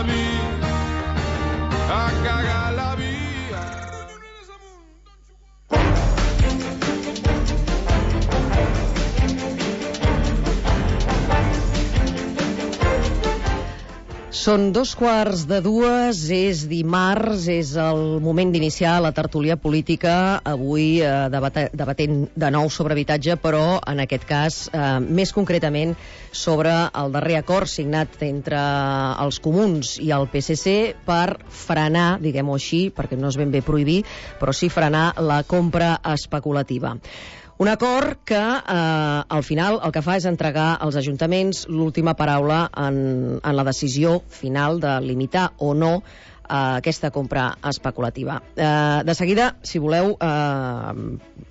via, a cagar la via. Són 2:15, és dimarts, és el moment d'iniciar la tertúlia política, avui debatent de nou sobre habitatge, però en aquest cas més concretament sobre el darrer acord signat entre els comuns i el PSC per frenar, diguem-ho així, perquè no és ben bé prohibir, però sí frenar la compra especulativa. Un acord que al final el que fa és entregar als ajuntaments l'última paraula en la decisió final de limitar o no aquesta compra especulativa. De seguida, si voleu,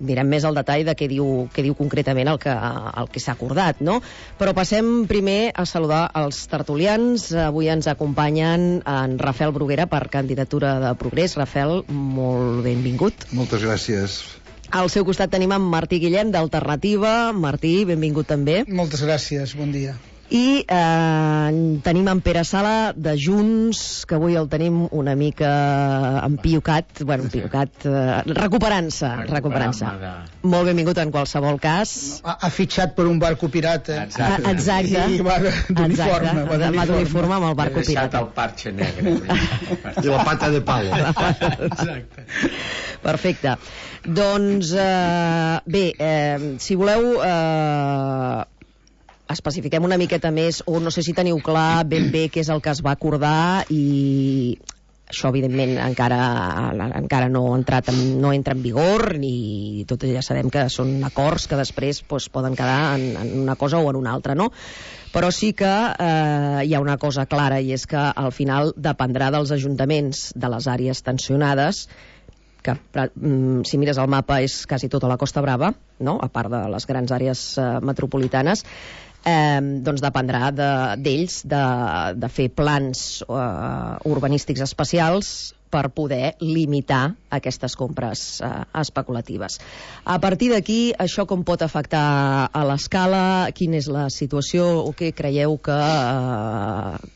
mirem més al detall de què diu concretament el que s'ha acordat, no? Però passem primer a saludar els tertulians. Avui ens acompanyen en Rafael Bruguera per candidatura de Progrés. Rafael, molt benvingut. Moltes gràcies. Al seu costat tenim en Martí Guillem, d'Alternativa. Martí, benvingut també. Moltes gràcies, bon dia. I tenim en Pere Sala, de Junts, que avui el tenim una mica empiocat, recuperant-se. Molt benvingut en qualsevol cas. Ha fitxat per un barco pirata. Exacte. I va d'uniforme. Va d'uniforme amb el barco pirata. He deixat el parche negre. I la pata de palo. Exacte. Perfecte. Doncs, bé, si voleu, especifiquem una miqueta més, o no sé si teniu clar ben bé què és el que es va acordar, i això, evidentment, encara no entra en vigor, i tot ja sabem que són acords que després poden quedar en una cosa o en una altra, no? Però sí que hi ha una cosa clara, i és que al final dependrà dels ajuntaments de les àrees tensionades, que si mires el mapa és quasi tota la Costa Brava, no? A part de les grans àrees metropolitanes, doncs dependrà d'ells de fer plans urbanístics especials per poder limitar aquestes compres especulatives. A partir d'aquí, això com pot afectar a l'escala? Quina és la situació o què creieu que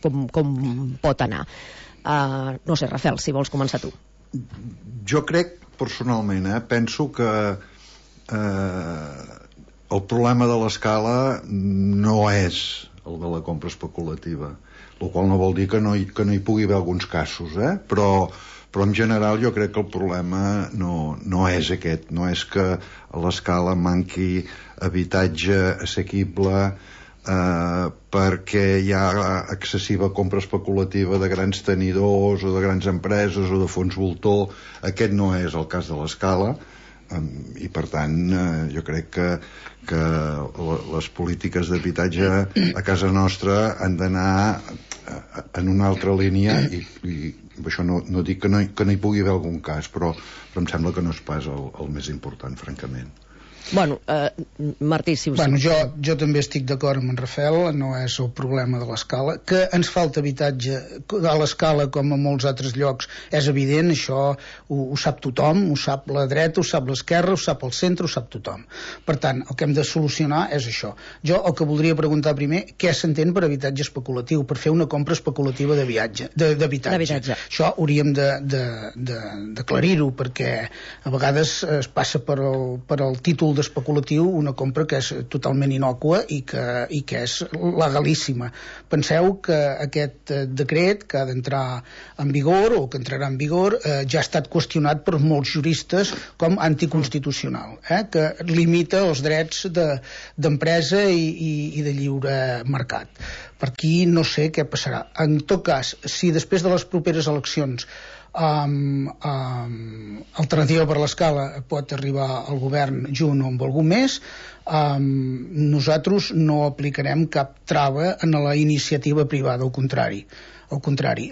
com pot anar? No sé, Rafael, si vols començar tu. Jo crec, personalment, penso que el problema de l'escala no és el de la compra especulativa, el qual no vol dir que no hi pugui haver alguns casos, però en general jo crec que el problema no és aquest, no és que a l'escala manqui habitatge assequible perquè hi ha excessiva compra especulativa de grans tenidors o de grans empreses o de fons voltor. Aquest no és el cas de l'escala, i per tant jo crec que les polítiques d'habitatge a casa nostra han d'anar en una altra línia, i això no dic que no hi pugui haver algun cas, però em sembla que no és pas el més important, francament. Bueno, Martí, si us... Bueno, jo també estic d'acord amb en Rafael, no és el problema de l'escala. Que ens falta habitatge a l'escala com a molts altres llocs és evident, això ho sap tothom, ho sap la dreta, ho sap l'esquerra, ho sap el centre, ho sap tothom. Per tant, el que hem de solucionar és això. Jo el que voldria preguntar primer, què s'entén per habitatge especulatiu, per fer una compra especulativa d'habitatge. Això hauríem d'aclarir-ho, perquè a vegades es passa per el títol d'especulatiu una compra que és totalment innòcua i que és legalíssima. Penseu que aquest decret que ha d'entrar en vigor o que entrarà en vigor ja ha estat qüestionat per molts juristes com anticonstitucional, que limita els drets d'empresa i de lliure mercat. Per aquí no sé què passarà. En tot cas, si després de les properes eleccions Alternativa per l'Escala pot arribar al govern junt o amb algú més, nosaltres no aplicarem cap trava en la iniciativa privada, al contrari,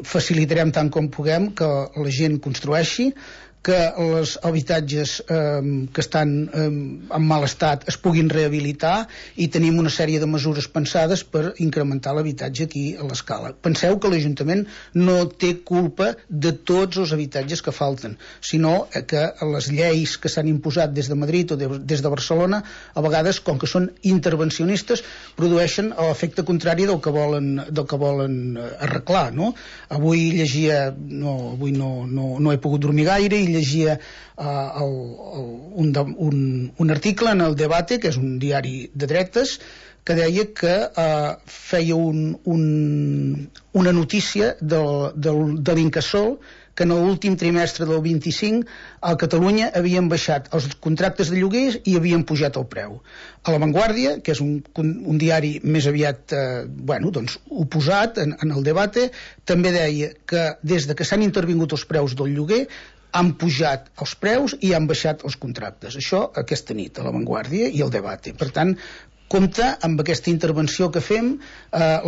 facilitarem tant com puguem que la gent construeixi, que els habitatges que estan en mal estat es puguin rehabilitar, i tenim una sèrie de mesures pensades per incrementar l'habitatge aquí a l'Escala. Penseu que l'Ajuntament no té culpa de tots els habitatges que falten, sinó que les lleis que s'han imposat des de Madrid o des de Barcelona, a vegades, com que són intervencionistes, produeixen l'efecte contrari del que volen arreglar, no? Avui llegia, avui no he pogut dormir gaire, i llegia un article en el Debate, que és un diari de dretes, que deia que feia una notícia de l'Incasòl, que en l'últim trimestre del 25 a Catalunya havien baixat els contractes de lloguers i havien pujat el preu. A La Vanguardia, que és un diari més aviat oposat en el Debate, també deia que des de que s'han intervingut els preus del lloguer han pujat els preus i han baixat els contractes. Això aquesta nit a La Vanguardia i el Debate. Per tant, compte amb aquesta intervenció que fem.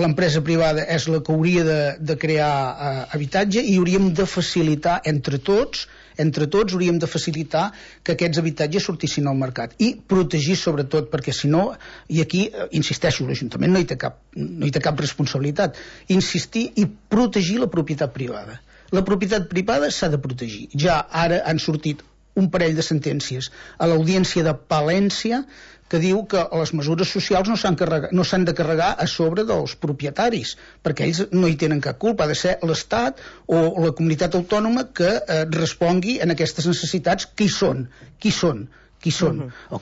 L'empresa privada és la que hauria de crear habitatge, i hauríem de facilitar entre tots hauríem de facilitar que aquests habitatges sortissin al mercat i protegir sobretot, perquè si no, i aquí insisteixo, l'Ajuntament no hi té cap responsabilitat, insistir i protegir la propietat privada. La propietat privada s'ha de protegir. Ja ara han sortit un parell de sentències a l'Audiència de Palència que diu que les mesures socials no s'han de carregar a sobre dels propietaris, perquè ells no hi tenen cap culpa. Ha de ser l'Estat o la comunitat autònoma que respongui en aquestes necessitats. Qui són? El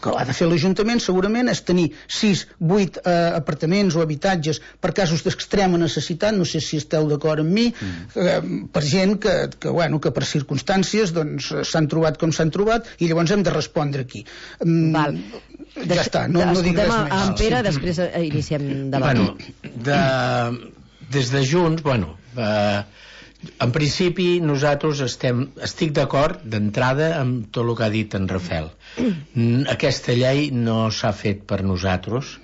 que ha de fer l'Ajuntament segurament és tenir 6-8 apartaments o habitatges per casos d'extrema necessitat, no sé si esteu d'acord amb mi, per gent que per circumstàncies s'han trobat com s'han trobat, i llavors hem de respondre aquí. Ja està, no dic res més. En Pere, després iniciem debat. Des de Junts, en principi nosaltres estic d'acord d'entrada amb tot el que ha dit en Rafael. Aquesta llei no s'ha fet per nosaltres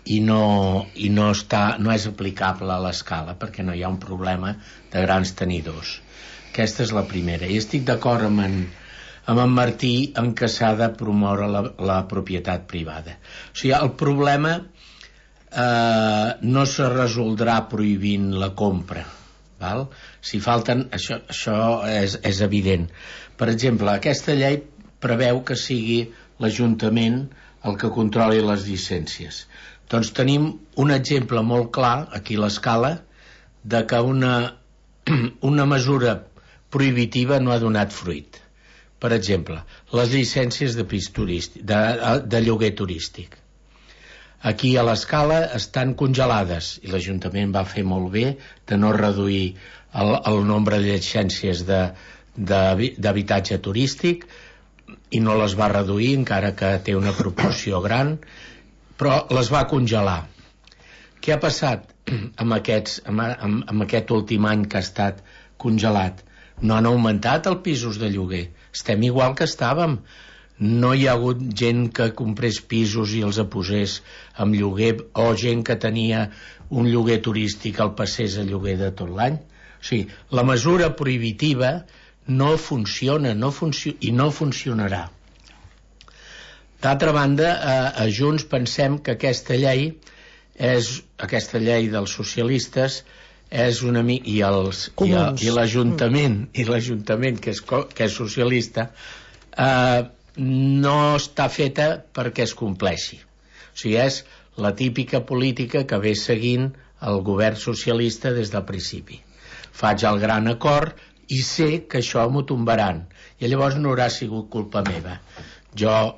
i no és aplicable a l'Escala, perquè no hi ha un problema de grans tenidors. Aquesta és la primera. I estic d'acord amb en Martí en què s'ha de promoure la propietat privada. O sigui, el problema no se resoldrà prohibint la compra, val? Si falten, això és evident. Per exemple, aquesta llei preveu que sigui l'Ajuntament el que controli les llicències. Doncs tenim un exemple molt clar aquí a l'Escala de que una mesura prohibitiva no ha donat fruit. Per exemple, les llicències de pis turístic, de lloguer turístic. Aquí a l'Escala estan congelades, i l'Ajuntament va fer molt bé de no reduir el nombre de llicències d'habitatge turístic, i no les va reduir, encara que té una proporció gran, però les va congelar. Què ha passat amb aquest últim any que ha estat congelat? No han augmentat els pisos de lloguer, estem igual que estàvem. No hi ha hagut gent que comprés pisos i els posés amb lloguer, o gent que tenia un lloguer turístic el passés a lloguer de tot l'any. O sigui, la mesura prohibitiva no funciona i no funcionarà. D'altra banda, a Junts pensem que aquesta llei dels socialistes és una mica, i l'Ajuntament que és socialista, no està feta perquè es compleixi. O sigui, és la típica política que ve seguint el govern socialista des del principi. Faig el gran acord i sé que això m'ho tombaran, i llavors no haurà sigut culpa meva. Jo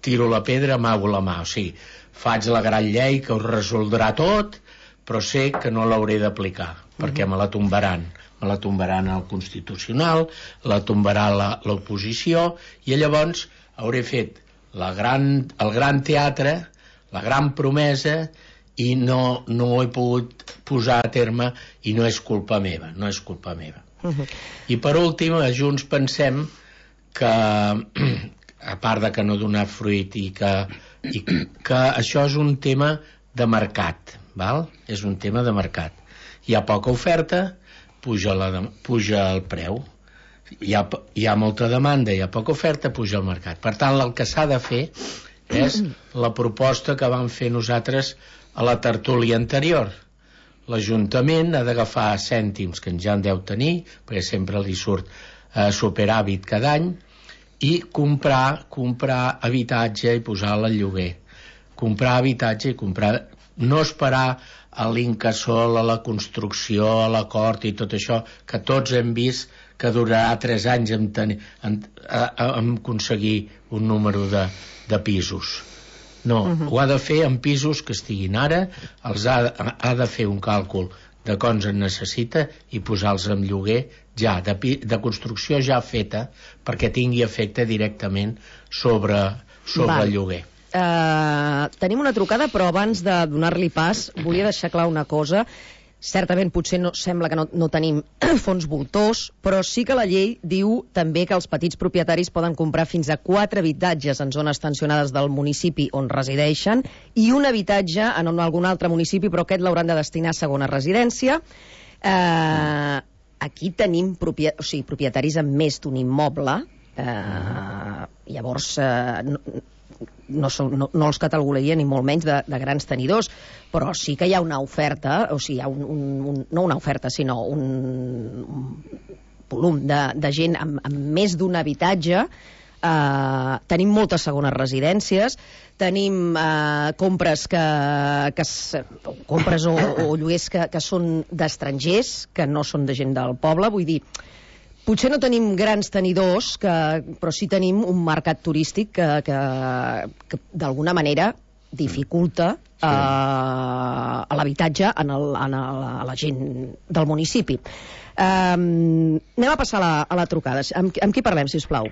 tiro la pedra, amago la mà. O sigui, faig la gran llei que ho resoldrà tot, però sé que no l'hauré d'aplicar, perquè me la tombaran. Me la tombaran al Constitucional, la tombarà l'oposició, i llavors hauré fet el gran teatre, la gran promesa, i no ho he pogut posar a terme, i no és culpa meva. I per últim, a Junts pensem que, a part de que no donar fruit, i que això és un tema de mercat, val? És un tema de mercat. Hi ha poca oferta, puja el preu. hi ha molta demanda, hi ha poca oferta, puja al mercat. Per tant, el que s'ha de fer és la proposta que vam fer nosaltres a la tertúlia anterior. L'Ajuntament ha d'agafar cèntims que ja en deu tenir, perquè sempre li surt superàvit cada any, i comprar habitatge i posar-lo al lloguer. Comprar habitatge i no esperar a l'incasòl, a la construcció, a l'acord i tot això, que tots hem vist que durarà 3 anys en aconseguir un número de pisos. No, ho ha de fer en pisos que estiguin ara, ha de fer un càlcul de quants en necessita i posar-los en lloguer ja, de construcció ja feta, perquè tingui efecte directament sobre el lloguer. Tenim una trucada, però abans de donar-li pas volia deixar clar una cosa. Certament potser sembla que no tenim fons voltors, però sí que la llei diu també que els petits propietaris poden comprar fins a 4 habitatges en zones tensionades del municipi on resideixen i un habitatge en algun altre municipi, però aquest l'hauran de destinar a segona residència. Aquí tenim propietaris amb més d'un immoble, llavors no els catalogaria ni molt menys de grans tenidors, però sí que hi ha una oferta, o sigui, hi ha no una oferta, sinó un volum de gent amb més d'un habitatge. Tenim moltes segones residències, tenim compres o lloguers que són d'estrangers, que no són de gent del poble. Vull dir, potser no tenim grans tenidors, però sí tenim un mercat turístic que d'alguna manera dificulta l'habitatge a la gent del municipi. Anem a passar a la trucada. Amb qui parlem, sisplau?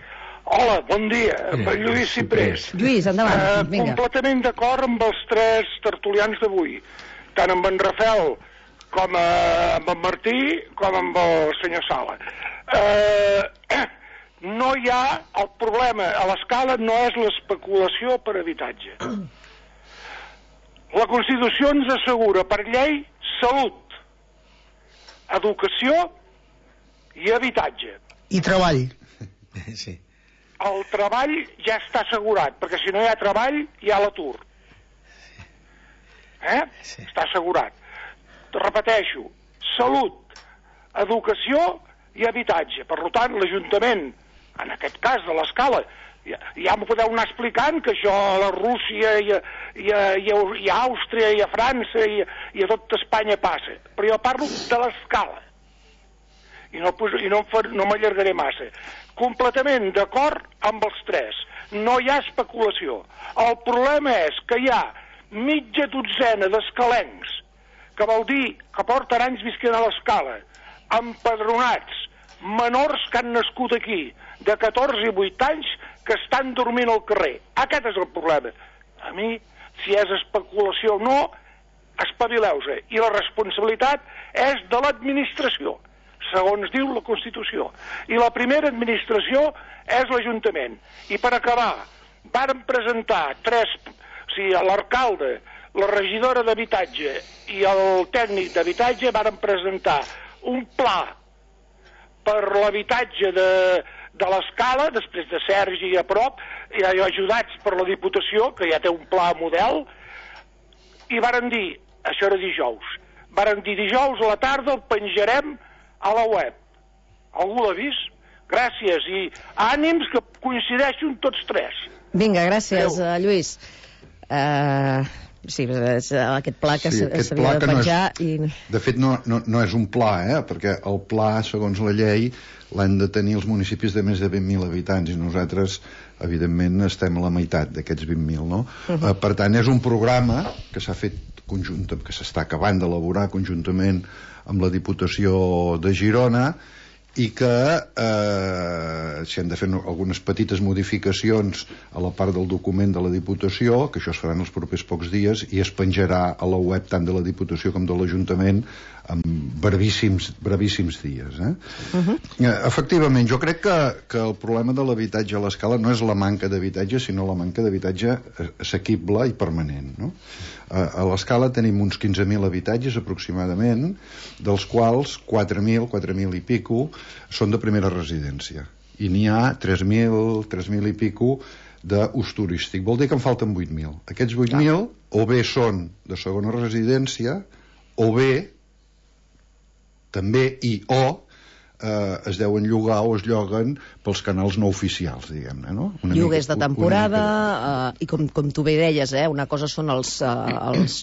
Hola, bon dia, Lluís Ciprés. Lluís, endavant, vinga. Completament d'acord amb els 3 tertulians d'avui, tant amb en Rafel com amb en Martí com amb el senyor Sala. No hi ha el problema a l'escala, no és l'especulació per habitatge. La Constitució ens assegura per llei salut, educació i habitatge. I treball. Sí. El treball ja està assegurat, perquè si no hi ha treball hi ha l'atur. Sí. Està assegurat. Repeteixo, salut, educació i habitatge. Per tant, l'Ajuntament, en aquest cas de l'Escala, ja m'ho podeu anar explicant que això a la Rússia i a Àustria i a França i a tot Espanya passa, però jo parlo de l'Escala i no m'allargaré massa. Completament d'acord amb els 3, no hi ha especulació. El problema és que hi ha mitja dotzena d'escalencs, que vol dir que porten anys visquent a l'Escala, empadronats, menors que han nascut aquí, de 14 i 8 anys, que estan dormint al carrer. Aquest és el problema. A mi, si és especulació o no, espavileu-se. I la responsabilitat és de l'administració, segons diu la Constitució. I la primera administració és l'Ajuntament. I per acabar, varen presentar l'alcalde, la regidora d'habitatge i el tècnic d'habitatge varen presentar un pla per l'habitatge de l'Escala, després de Sergi a prop, i ajudats per la Diputació, que ja té un pla model, i varen dir, això era dijous, varen dir dijous a la tarda el penjarem a la web. Algú l'ha vist? Gràcies, i ànims que coincideixen tots 3. Vinga, gràcies, Lluís. Sí, és aquest pla que s'havia de penjar. De fet, no és un pla, perquè el pla, segons la llei, l'han de tenir els municipis de més de 20.000 habitants, i nosaltres, evidentment, estem a la meitat d'aquests 20.000, no? Per tant, és un programa que s'ha fet conjuntament, que s'està acabant d'elaborar conjuntament amb la Diputació de Girona, i que s'hi han de fer algunes petites modificacions a la part del document de la Diputació, que això es farà en els propers pocs dies, i es penjarà a la web tant de la Diputació com de l'Ajuntament brevíssims dies. Efectivament, jo crec que el problema de l'habitatge a l'Escala no és la manca d'habitatge, sinó la manca d'habitatge assequible i permanent, no? A l'Escala tenim uns 15.000 habitatges aproximadament, dels quals 4.000 i pico són de primera residència, i n'hi ha 3.000 i pico d'ús turístic. Vol dir que en falten 8.000. Aquests 8.000 o bé són de segona residència, o bé també es deuen llogar o es lloguen pels canals no oficials, diguem-ne, no? Lloguers de temporada, i com tu bé deies, una cosa són els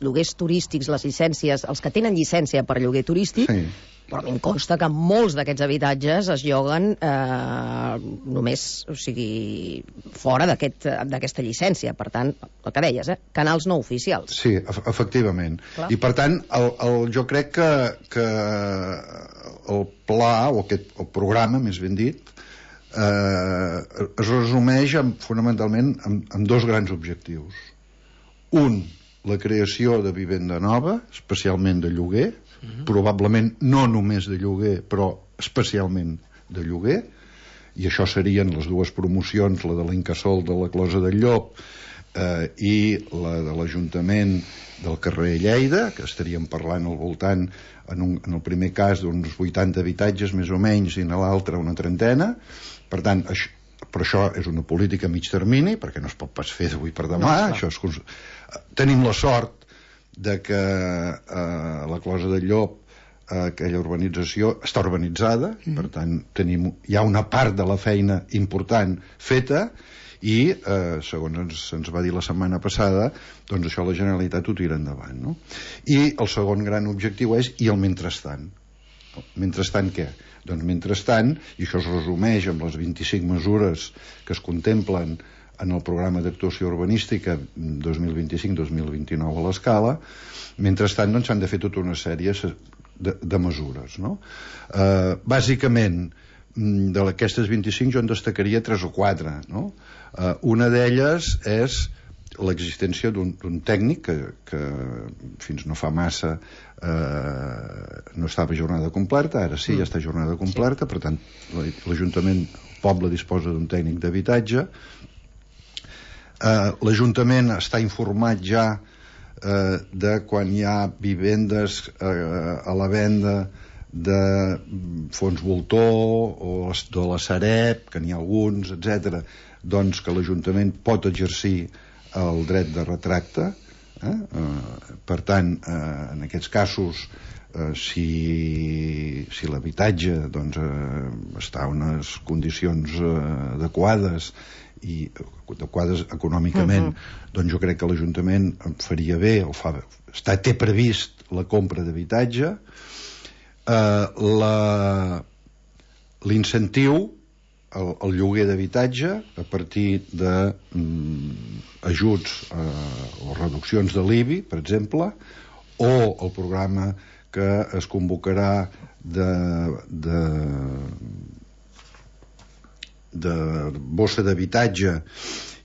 lloguers turístics, les llicències, els que tenen llicència per lloguer turístic, sí. Però em consta que molts d'aquests habitatges es lloguen només, o sigui, fora d'aquesta llicència. Per tant, el que deies, canals no oficials. Sí, efectivament. Clar. I per tant, jo crec que el pla, o el programa, més ben dit, es resumeix fonamentalment en dos grans objectius. Un, la creació de vivenda nova, especialment de lloguer, probablement no només de lloguer, però especialment de lloguer, i això serien les dues promocions, la de l'Incasòl de la Closa del Llop i la de l'Ajuntament del carrer Lleida, que estaríem parlant al voltant, en el primer cas, d'uns 80 habitatges més o menys, i en l'altre una trentena. Per tant, però això és una política a mig termini, perquè no es pot pas fer d'avui per demà. Tenim la sort de que la Closa del Llop, aquella urbanització, està urbanitzada, per tant hi ha una part de la feina important feta, i segons ens va dir la setmana passada, doncs això la Generalitat ho tira endavant, no? I el segon gran objectiu és, i el mentrestant? Mentrestant què? Doncs mentrestant, i això es resumeix amb les 25 mesures que es contemplen en el programa d'actuació urbanística 2025-2029 a l'Escala, mentrestant doncs s'han de fer tota una sèrie de mesures, no? Bàsicament, d'aquestes 25 jo en destacaria 3 o 4, no? Una d'elles és l'existència d'un tècnic que fins no fa massa no estava a jornada completa, ara sí, ja està a jornada completa, per tant l'Ajuntament, el poble disposa d'un tècnic d'habitatge. L'Ajuntament està informat ja de quan hi ha vivendes a la venda de fons voltor o de la Sareb, que n'hi ha alguns, etc., doncs que l'Ajuntament pot exercir el dret de retracte. Per tant, en aquests casos, si l'habitatge doncs, està en unes condicions adequades i adequades econòmicament, doncs jo crec que l'Ajuntament faria bé, té previst la compra d'habitatge. L'incentiu, el lloguer d'habitatge, a partir d'ajuts o reduccions de l'IBI, per exemple, o el programa que es convocarà de bossa d'habitatge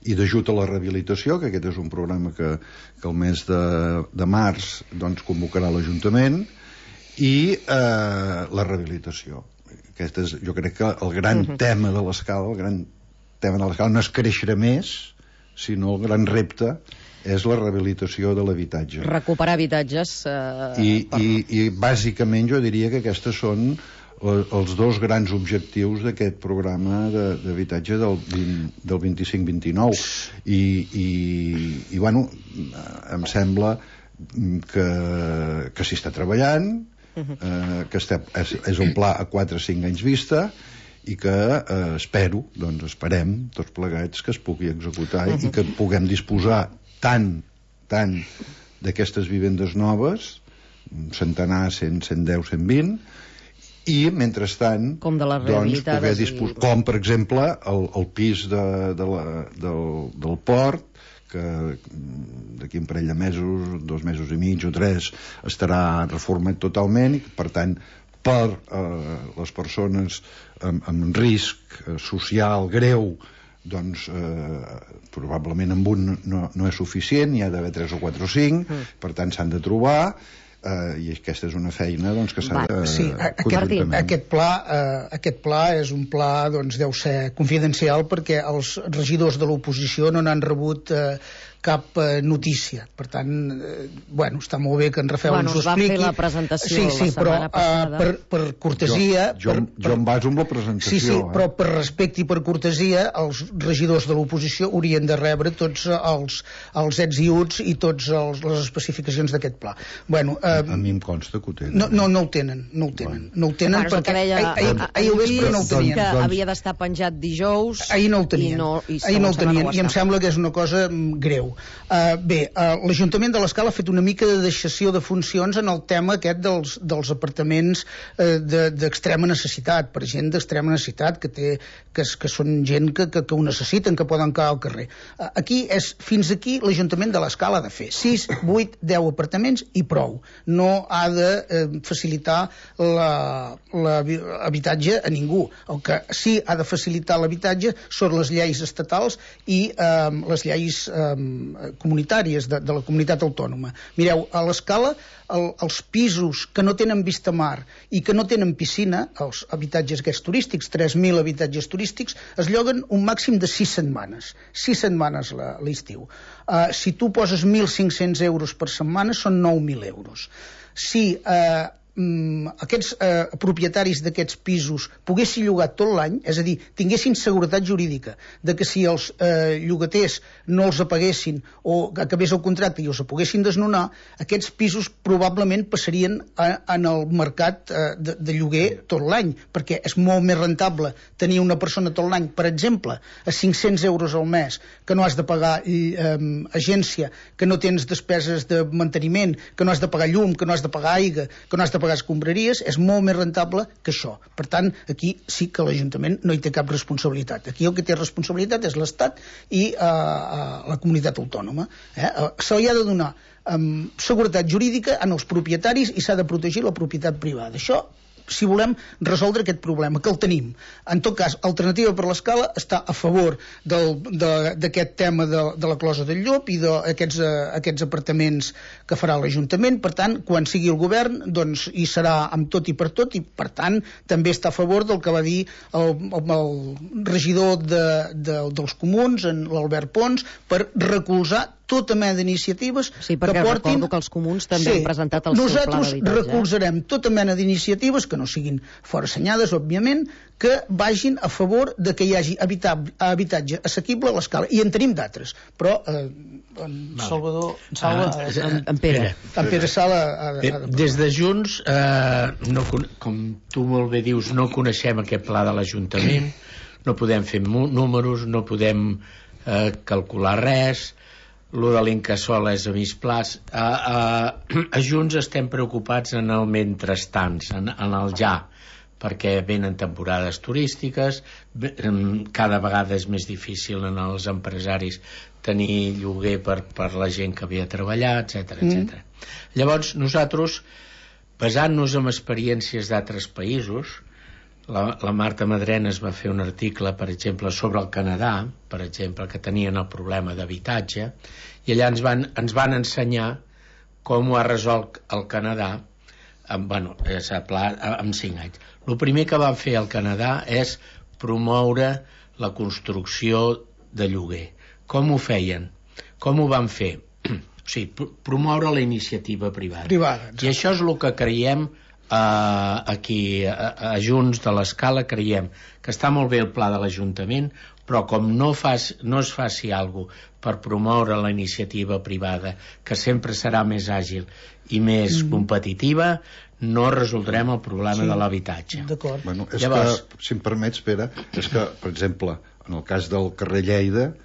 i d'ajut a la rehabilitació, que aquest és un programa que el mes de març doncs, convocarà l'Ajuntament, i la rehabilitació. Aquest és, jo crec que el gran tema de l'Escala, no és créixer més, sinó el gran repte és la rehabilitació de l'habitatge. Recuperar habitatges. I bàsicament jo diria que aquestes són els dos grans objectius d'aquest programa d'habitatge del 25-29. I bueno, em sembla que s'hi està treballant, que és un pla a 4 o 5 anys vista, i que esperem tots plegats que es pugui executar i que puguem disposar tant d'aquestes vivendes noves, un centenar, 100, 110, 120, i mentrestant com de les rehabilitades, doncs, com per exemple el pis del port, que d'aquí un parell de mesos, 2 mesos i mig o 3, estarà reformat totalment, i per tant per les persones amb risc social greu, doncs probablement amb un no és suficient, hi ha d'haver 3 o 4 o 5, per tant s'han de trobar. i aquesta és una feina doncs, que s'ha de... Sí, aquest pla és un pla, doncs, deu ser confidencial perquè els regidors de l'oposició no n'han rebut cap notícia. Per tant, està molt bé que en Rafael ens ho expliqui. Va fer la presentació la setmana passada. Per cortesia... Jo em baso amb la presentació. Sí, però per respecte i per cortesia, els regidors de l'oposició haurien de rebre tots els ets i uts i totes les especificacions d'aquest pla. A mi em consta que ho tenen. No ho tenen. No ho tenen perquè ahir al vespre no ho tenien. Que havia d'estar penjat dijous. Ahir no ho tenien. Ahir no ho tenien. I em sembla que és una cosa greu. L'Ajuntament de l'Escala ha fet una mica de deixació de funcions en el tema aquest dels apartaments d'extrema necessitat, per gent d'extrema necessitat que són gent que ho necessiten, que poden quedar al carrer. Fins aquí l'Ajuntament de l'Escala ha de fer 6, 8, 10 apartaments i prou. No ha de facilitar l'habitatge a ningú. El que sí ha de facilitar l'habitatge són les lleis estatals i les lleis comunitàries de la comunitat autònoma. Mireu, a l'Escala els pisos que no tenen vista mar i que no tenen piscina, els habitatges aquests turístics, 3.000 habitatges turístics, es lloguen un màxim de 6 setmanes. 6 setmanes l'estiu. Si tu poses 1.500 euros per setmana, són 9.000 euros. Si aquests propietaris d'aquests pisos poguessin llogar tot l'any, és a dir, tinguessin seguretat jurídica de que si els llogaters no els apaguessin o acabés el contracte i els poguessin desnonar, aquests pisos probablement passarien en el mercat de lloguer tot l'any, perquè és molt més rentable tenir una persona tot l'any, per exemple, a 500 euros al mes, que no has de pagar agència, que no tens despeses de manteniment, que no has de pagar llum, que no has de pagar aigua, que no has de pagar escombraries, és molt més rentable que això. Per tant, aquí sí que l'Ajuntament no hi té cap responsabilitat. Aquí el que té responsabilitat és l'Estat i la comunitat autònoma. Se li ha de donar seguretat jurídica en els propietaris i s'ha de protegir la propietat privada. Això si volem resoldre aquest problema, que el tenim. En tot cas, Alternativa per l'Escala està a favor d'aquest tema de la closa del Llop i d'aquests apartaments que farà l'Ajuntament. Per tant, quan sigui el govern, doncs hi serà amb tot i per tant, també està a favor del que va dir el regidor dels comuns, l'Albert Pons, per recolzar tota mena d'iniciatives que portin... recordo que els comuns també han presentat el seu pla d'habitatge. Nosaltres recolzarem tota mena d'iniciatives que no siguin forassenyades, òbviament, que vagin a favor de que hi hagi habitatge assequible a l'Escala. I en tenim d'altres, però en Pere Sala des de Junts, com tu molt bé dius, no coneixem aquest pla de l'Ajuntament, no podem fer números, no podem calcular res. Lo de l'Incasòl és a mig plaç. A Junts estem preocupats en el mentrestant, en el ja, perquè venen temporades turístiques, cada vegada és més difícil en els empresaris tenir lloguer per la gent que havia de treballar, etc. Llavors nosaltres, basant-nos en experiències d'altres països, la Marta Madrenes va fer un article, per exemple, sobre el Canadà, per exemple, que tenien el problema d'habitatge, i allà ens van ensenyar com ho ha resolt el Canadà amb 5 anys. El primer que van fer al Canadà és promoure la construcció de lloguer. Com ho feien? Com ho van fer? O sigui, promoure la iniciativa privada. I això és el que creiem aquí a Junts de l'Escala, creiem que està molt bé el pla de l'Ajuntament, però com no es faci alguna cosa per promoure la iniciativa privada, que sempre serà més àgil i més competitiva, no resoldrem el problema de l'habitatge. D'acord. Bueno, llavors, que, si em permets, Pere, és que, per exemple, en el cas del carrer Lleida,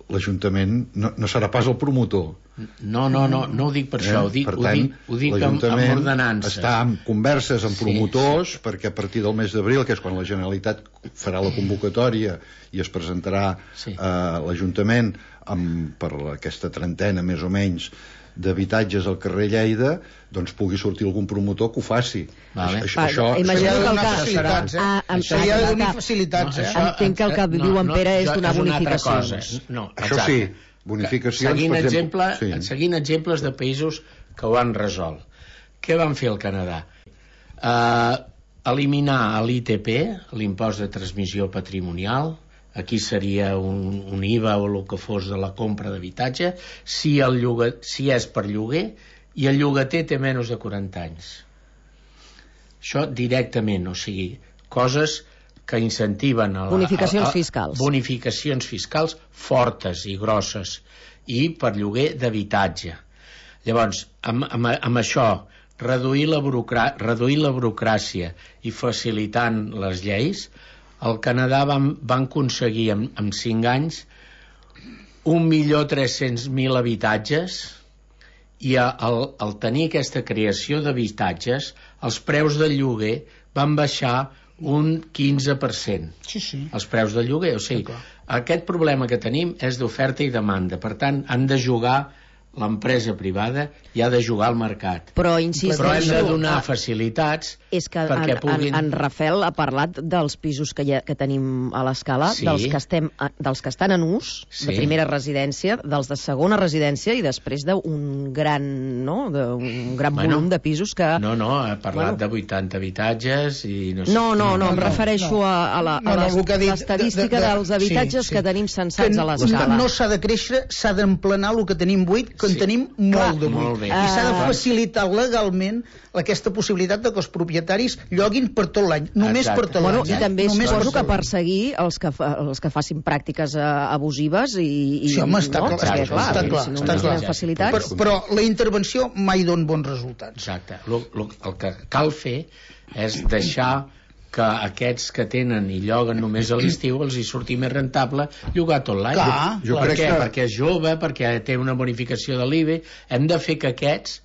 l'Ajuntament no serà pas el promotor. No ho dic per això, ho dic amb ordenança. Està en converses amb promotors, perquè a partir del mes d'abril, que és quan la Generalitat farà la convocatòria i es presentarà a l'Ajuntament per aquesta trentena més o menys d'habitatges al carrer Lleida, doncs pugui sortir algun promotor que ho faci. Això seria de donar facilitats. Entenc que el que diu en Pere és donar bonificacions. Això sí, bonificacions, seguint exemples de països que ho han resolt. Què van fer al Canadà? Eliminar l'ITP, l'impost de transmissió patrimonial. Aquí seria un IVA o el que fos de la compra d'habitatge, si és per lloguer i el llogater té menys de 40 anys. Això directament, o sigui, coses que incentiven bonificacions fiscals. Bonificacions fiscals fortes i grosses, i per lloguer d'habitatge. Llavors, amb això, reduir la burocràcia i facilitant les lleis, al Canadà van aconseguir en 5 anys 1.300.000 habitatges, i al tenir aquesta creació d'habitatges, els preus del lloguer van baixar un 15%. Sí. Els preus del lloguer, o sigui, aquest problema que tenim és d'oferta i demanda, per tant, han de jugar l'empresa privada i ha de jugar al mercat. Però hem de donar facilitats perquè puguin... En Rafel ha parlat dels pisos que tenim a l'Escala, sí, dels que estan en ús, sí, de primera residència, dels de segona residència, i després d'un gran, volum de pisos que... No, ha parlat de 80 habitatges i no sé... No, em refereixo a l'estadística dels habitatges que tenim censats a l'Escala. No s'ha de créixer, s'ha d'emplenar el que tenim buit, que en tenim molt de buit. I s'ha de facilitar legalment aquesta possibilitat de que els propietaris lloguin per tot l'any, només per tot l'any. I també suposo que perseguir els que facin pràctiques abusives i... Sí, home, està clar. Però la intervenció mai dona bons resultats. Exacte. El que cal fer és deixar que aquests que tenen i lloguen només a l'estiu els hi surti més rentable llogar tot l'any. Per què? Perquè és jove, perquè té una bonificació de l'IBE. Hem de fer que aquests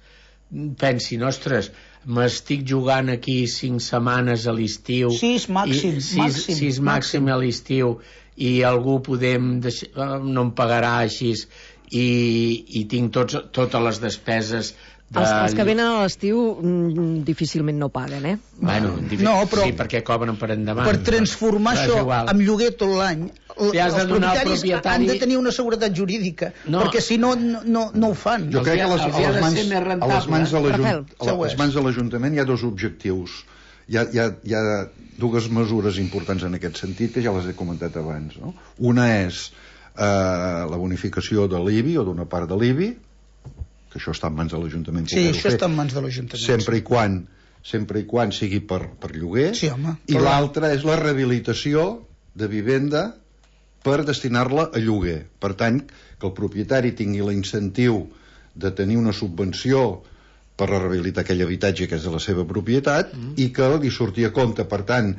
pensin, ostres, m'estic jugant aquí 5 setmanes a l'estiu, 6 màxim a l'estiu, i algú no em pagarà així, i tinc totes les despeses. Els que venen a l'estiu difícilment no paguen, eh? Bueno, sí, perquè cobren per endavant. Per transformar això en lloguer tot l'any, els propietaris han de tenir una seguretat jurídica, perquè si no ho fan. Jo crec que a les mans de l'Ajuntament hi ha 2 objectius. Hi ha 2 mesures importants en aquest sentit, que ja les he comentat abans. Una és la bonificació de l'IBI o d'una part de l'IBI, que això està en mans de l'Ajuntament. Sí, això està en mans de l'Ajuntament. Sempre i quan sigui per lloguer. Sí, home. I l'altra és la rehabilitació de vivenda per destinar-la a lloguer. Per tant, que el propietari tingui l'incentiu de tenir una subvenció per rehabilitar aquell habitatge que és de la seva propietat i que li surti a compte. Per tant,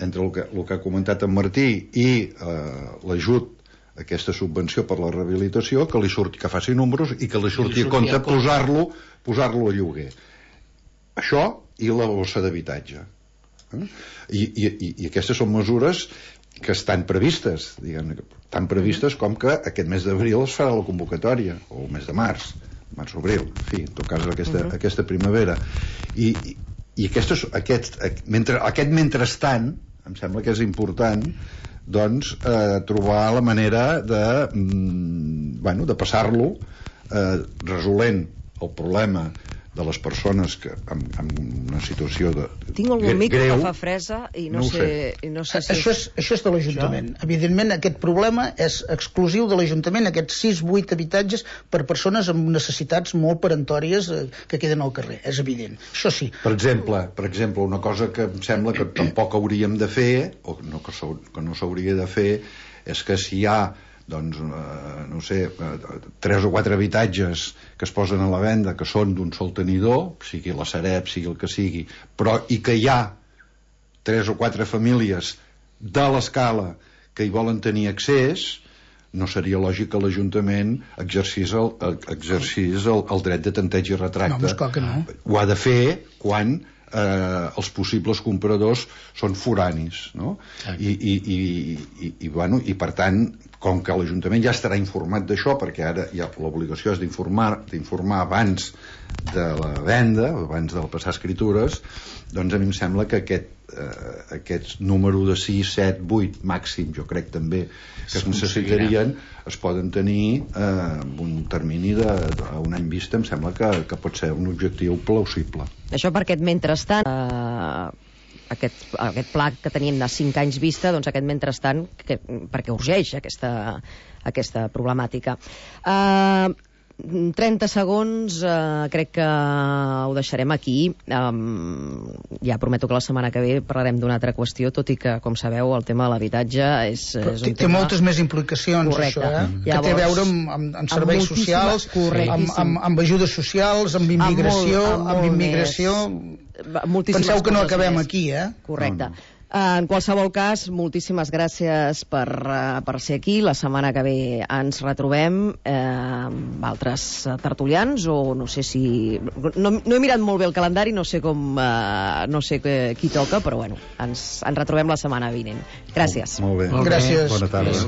entre el que ha comentat en Martí i l'ajut, aquesta subvenció per la rehabilitació, que li surti, que faci números i que li surti a compte posar-lo a lloguer. Això i la bossa d'habitatge. I aquestes són mesures que estan previstes, tan previstes com que aquest mes d'abril es farà la convocatòria, o el mes de març-abril, en fi, en tot cas aquesta primavera. I aquest mentrestant, em sembla que és important, doncs trobar la manera de passar-lo resolent el problema de les persones que en una situació de tinc algun mic que fa fresa i no sé si... Això és de l'Ajuntament. Evidentment aquest problema és exclusiu de l'Ajuntament, aquests 6-8 habitatges per persones amb necessitats molt peremptòries que queden al carrer, és evident. Això sí. Per exemple, una cosa que em sembla que tampoc hauríem de fer, o que no s'hauria de fer, és que si hi ha no sé, 3 o 4 habitatges que es posen a la venda que són d'un sol tenidor, sigui la Sareb, sigui el que sigui, però i que hi ha 3 o 4 famílies de l'Escala que hi volen tenir accés, no seria lògic que l'Ajuntament exercís el dret de tanteig i retracte. No, esclar que no. Ho ha de fer quan els possibles compradors són foranis, no? I per tant, com que l'Ajuntament ja estarà informat d'això, perquè ara ja l'obligació és d'informar abans de la venda, abans del passar escritures, doncs a mi em sembla que aquest número de 6, 7, 8 màxim, jo crec també que es necessitarien, es poden tenir amb un termini d'un any vista. Em sembla que pot ser un objectiu plausible. Això per aquest mentrestant, aquest pla que teníem de 5 anys vista, doncs aquest mentrestant, perquè urgeix aquesta problemàtica. 30 segons, crec que ho deixarem aquí. Ja prometo que la setmana que ve parlarem d'una altra qüestió, tot i que, com sabeu, el tema de l'habitatge és un tema... Té moltes més implicacions. Correcte. Això, que té a veure amb serveis socials, amb ajudes socials, amb immigració. Penseu que no acabem aquí, Correcte. En qualsevol cas, moltíssimes gràcies per ser aquí. La setmana que ve ens retrobem amb altres tertulians, o no sé si... No he mirat molt bé el calendari, no sé qui toca, però bueno, ens retrobem la setmana vinent. Gràcies. Molt bé. Gràcies. Bona tarda.